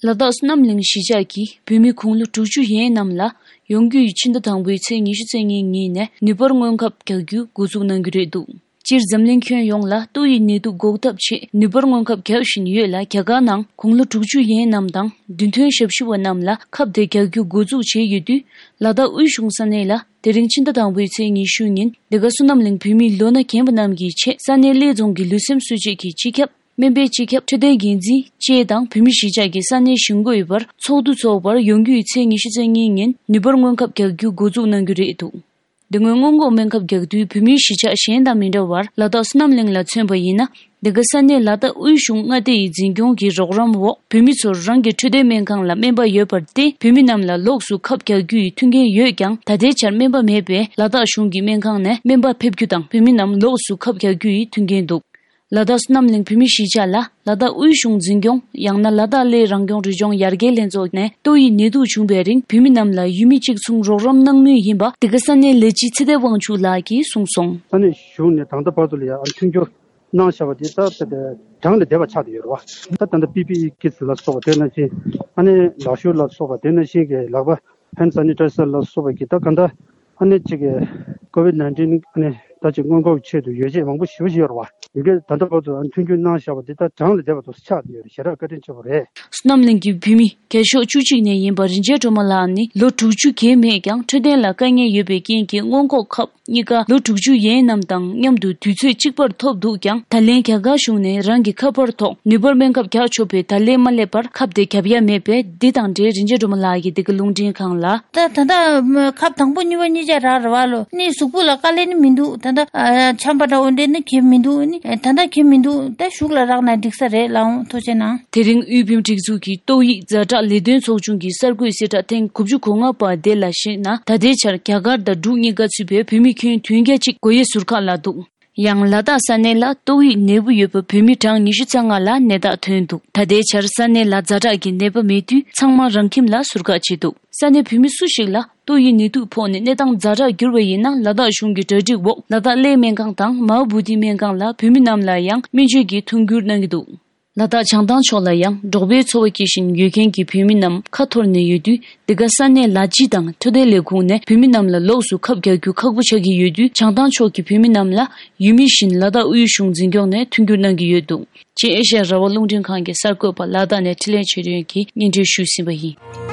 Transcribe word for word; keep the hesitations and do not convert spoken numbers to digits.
ལ་དྭགས་བསོད་ནམས་གླིང་གཞིས་ཆགས་ཀྱི་བོད་མི་དགུང་ལོ་དྲུག་ཅུ་ཡན་རྣམས་ལ་ཡོང་རྒྱུ་ཡི་ཕྱི་ཟླ་དང་པོའི་ཚེས་ཉི་ཤུ་རྩ་གཉིས་ཉིན་ནས་ནུས་སྤར་སྔོན་ཁབ་རྒྱག་རྒྱུ་འགོ་འཛུགས་གནང་གི་རེད་འདུག་སྤྱིར་འཛམ་གླིང་ཁྱོན་ཡོངས་ལ་ཏོག་དབྱིབས་ནད་དུག་འགོག་ཐབས་ཆེད་ནུས་སྤར་སྔོན་ཁབ་རྒྱག་བཞིན་ཡོད་ལ། རྒྱ་གར་ནང་དགུང་ལོ་དྲུག་ཅུ་ཡན་རྣམས་དང་རྒྱུན་ཐོན་ཞབས་ཞུ་བ་རྣམས་ལ་ཁབ་དེ་རྒྱག་རྒྱུ་འགོ་འཛུགས་བྱས་ཡོད་དུས། ལ་དྭགས་དབུས་གཞུང་ས་གནས་ལ་དེ་རིང་ཕྱི་ཟླ་དང་པོའི་ཚེས་ཉི་ཤུ་ཉིན་འདི་ག་བསོད་ནམས་གླིང་བོད་མིའི་ལོ་ན་རྒན་པ་རྣམས་ཀྱི་ཆེད་ས་གནས་གླེ་རྫོང་གི་ལུས་སེམས་གསོ་བྱེད་ཀྱི་སྤྱི་ཁྱབ། སྨན་པའི་སྤྱི་ཁྱབ། འཕྲོད་བསྟེན་འགན་འཛིན་བཅས་དང་བོད་མི་གཞིས་ཆགས་ཀྱི་ས་གནས་གཞིས་འགོ་ཡི་བར་ཚོགས་འདུ་འཚོགས་པར་ཡོང་རྒྱུ་ཡི་ཚེས་ཉི་ཤུ་རྩ་གཉིས་ཉིན་ནུས་སྤར་སྔོན་ཁབ་རྒྱག་རྒྱུ་འགོ་འཛུགས་གནང་རྒྱུ་རེད་འདུག་དེ་སྔོན་སྔོན་འགོག་སྨན་ཁབ་རྒྱག་དུས་བོད་མིའི་གཞིས་ཆགས་གཞན་དང་མི་འདྲ་བར་ལ་དྭགས་བསོད་ནམས་གླིང་ལ་མཚོན་པ་ཡིན་ན། འདི་ག་ས་གནས་ལ་དྭགས་དབུས་གཞུང་མངའ་སྡེ་ཡི་འཛིན་སྐྱོང་གི་རོགས་རམ་འོག་བོད་མི་ཚོར་རང་གི་འཕྲོད་བསྟེན་སྨན་ཁང་ལ་སྨན་པ་ཡོད་པར་བརྟེན། བོད་མི་རྣམས་ལ་ལོགས་སུ་ཁབ་རྒྱག་རྒྱུ་ཡི་མཐུན་རྐྱེན་ཡོད་ཀྱང་། ད་ལྟའི་ཆར་སྨན་པ་མེད་པས་ལ་དྭགས་གཞུང་གི་སྨན་ཁང་ནས་སྨན་པ་ཕེབས་རྒྱུ་དང་བོད་མི་རྣམས་ལོགས་སུ་ཁབ་རྒྱག་རྒྱུ་ཡི་མཐུན་རྐྱེན་འདུག་ལ་དྭགས་བསོད་ནམས་གླིང་བོད་མིའི་གཞིས་ཆགས་ལ་ལ་དྭགས་དབུས་གཞུང་འཛིན་སྐྱོང་ཡང་ན་ལ་དྭགས་གླེ་རང་སྐྱོང་རི་ལྗོངས་ཡར་རྒྱས་ལྷན་ཚོགས་ནས་ཏོག་དབྱིབས་ནད་དུག་བྱུང་བའི་རིང་བོད་མི་རྣམས་ལ་ཡུལ་མི་གཅིག་མཚུངས་རོགས་རམ་གནང་མུས་ཡིན་པ་འདི་ག་ས་གནས་ལས་བྱེད་ཚེ་བརྟན་དབང་ཕྱུག་ལགས་ཀྱིས་གསུངས་སོང་། ས་གནས་གཞུང་ནས་ད་ལྟ་བར་དུ་ལ་ཡང་མཐུན་འགྱུར་གནང་བཞག་པ་དེ་ད་གྲངས་ལས་འདས་པ་ཆགས་བསྡད་ཡོད་རེད་བ། ད་ད་ལྟ་པི་པི་ཨི་ཀིཊ་ལ་སོགས་པ་དེ་ནང་བཞིན་ཨ་ནི་ལག་ཤུབས་ལ་སོགས་པ་དེ་ནང་བཞིན་གྱི་ལག་པ་ཧེན་ཌི་སེ་ནི་ཊའི་ཛར་ལ་སོགས་པ་གི་ད་ག་འདྲ་ཨ་ནི་གཅིག་གི་ཀོ་ཝིཌ་ནའིན་ཊིན་ཨ་ནི་ད་ཅིག་སྔོན་འགོག་ཆེད་དུ་ཡོ་བྱད་མང་པོ་ཞེ་པོ་ཞིག་ཡོད་རེད་བ། ཡི་གེ་ད་ལྟ་བར་དུ་མཐུན་འགྱུར་གནང་བཞག་པ་འདི་ད་གྲངས་ལས་འདས་པ་དུ་ཆགས་བསྡད་ཡོད་རེད། ཞེ་དྲག་བཀའ་དྲིན་ཆེ་བོ་རེད། བསོད་ནམས་གླིང་གི་བོད་མི་རྒྱ་ཤོག་བཅུ་གཅིག་ནས་ཡིན་པ་རིན་ཆེན་སྒྲོལ་མ་ལགས་ནི་ལོ་དྲུག་ཅུ་བརྒལ་མེད་ཀྱང་འཕྲོད་བསྟེན་ལ་དཀའ་ངལ་ཡོད་པའི་རྐྱེན་གྱིས་སྔོན་འགོག་ཁབ་གཉིས་ཀ་ལོ་དྲུག་ཅུ་ཡན་རྣམས་དང་མཉམ་དུ་དུས་ཚོད་གཅིག་པར་ཐོབ་འདུག་ཀྱང་། ད་ལན་རྒྱ་གར་གཞུང་ནས་རང་གི་ཁ་པར་ཐོག་ནུས་སྤར་སྨན་ཁབ་རྒྱག་ཆོག་པའི་བརྡ་ལན་མ་སླེབས་པར་ཁབ་དེ་རྒྱག་ཡ་མེད་པས། འདི་དང་འབྲེལ་རིན་ཆེན་སྒྲོལ་མ་ལགས་ཀྱིས་འདི་ག་རླུང་འཕྲིན་ཁང་ལ། ད་ད་ལྟ་ཁབ་དང་པོ་གཉིས་པ་གཉིས་ཆ་རག་རེད་བ་ལོ། ནི་གཟུགས་པོ་ལ་དཀའ་ལས་ནི་མི་འདུག་ད་ལྟ་ཨ་ཆམ་པ་འདྲ་བོ་འདྲ་ནི་གེ་མི་འདུག་ནི་ད་ལྟ་གེ་མི་འདུག་ད་གཞུག་ལ་རག་ན་འགྲིག་ས་རེད། ལགས་འོང་། ཐུགས་རྗེ་གནང་། དེ་རིང་དབུས་བོད་མིའི་སྒྲིག་འཛུགས་ཀྱི་ཏོག་དབྱིབས་ཛ་དྲག་ལས་དོན་ཚོགས་ཆུང་གི་གསར་འགོད་གསལ་བསྒྲགས་ཐེངས་དགུ་བཅུ་གོ་ལྔ་པ་དེ་ལ་གཞིགས་ན། ད་ལྟའི་ཆར་རྒྱ་གར་དང་འབྲུག་གཉིས་ཀ་ཚུད་པའི་བོད་མི་ཁྱོན་བདུན་བརྒྱ་གཅིག་སྒོ་དབྱེ་ཟུར་བཀག་ལ་འདུག་ཡང་ལ་དྭགས་ས་གནས་ལ་ཏོག་དབྱིབས་ནད་འབུ་ཡོད་པ་བོད་མི་གྲངས་ཉི་ཤུ་རྩ་ལྔ་ལ་ནད་རྟགས་ཐོན་འདུག་ད་ལྟའི་ཆར་ས་གནས་ལ་ཛ་དྲག་གི་ནད་པ་མེད་དུས་ཚང་མ་རང་ཁྱིམ་ལ་ཟུར་བཀག་བྱས་འདུག་ས་གནས་བོད་མི་སུ་ཞིག་ལ་ཏོག་དབྱིབས་ནད་དུག་ཕོག་ནས་གནས་སྟངས་ཛ་དྲག་གྱུར་བ་ཡིན་ན། ལ་དྭགས་གཞུང་གི་གྲ་སྒྲིག་འོག་ལ་དྭགས་གླེ་སྨན་ཁང་དང་མ་ཧཱ་བོ་དྷི་སྨན་ཁང་ལ་བོད་མི་རྣམས་ལ་ཡང་སྨན་བཅོས་ཀྱི་མཐུན་འགྱུར་གནང་གི་འདུག་ལ་དྭགས་བྱང་ཐང་ཕྱོགས་ལ་ཡང་འབྲོག་པའི་འཚོ་བ་སྐྱེལ་བཞིན་ཡོད་མཁན་གྱི་བོད་མི་རྣམས་ཁ་འཐོར་ནས་ཡོད་དུས། འདི་ག་ས་གནས་ལ་སྤྱི་དང་འཕྲོད་བསྟེན་ལས་ཁུངས་ནས་བོད་མི་རྣམས་ལ་ལོགས་སུ་ཁབ་རྒྱག་རྒྱུ་ཁག་པོ་ཆགས་ཀྱི་ཡོད་དུས། བྱང་ཐང་ཕྱོགས་ཀྱི་བོད་མི་རྣམས་ལ་ཡུལ་མི་བཞིན་ལ་དྭགས་དབུས་གཞུང་འཛིན་སྐྱོང་ནས་མཐུན་འགྱུར་གནང་གི་ཡོད་འདུག་ཅེས་ཨེ་ཤ་ཡ་རང་དབང་རླུང་འཕྲིན་ཁང་གི་གསར་འགོད་པ་ལ་དྭགས་ནས་འཕྲིན་ལས་ཆོས་སྒྲོན་གྱིས་སྙན་སྒྲོན་ཞུས་ཟིན་པ་ཡིན།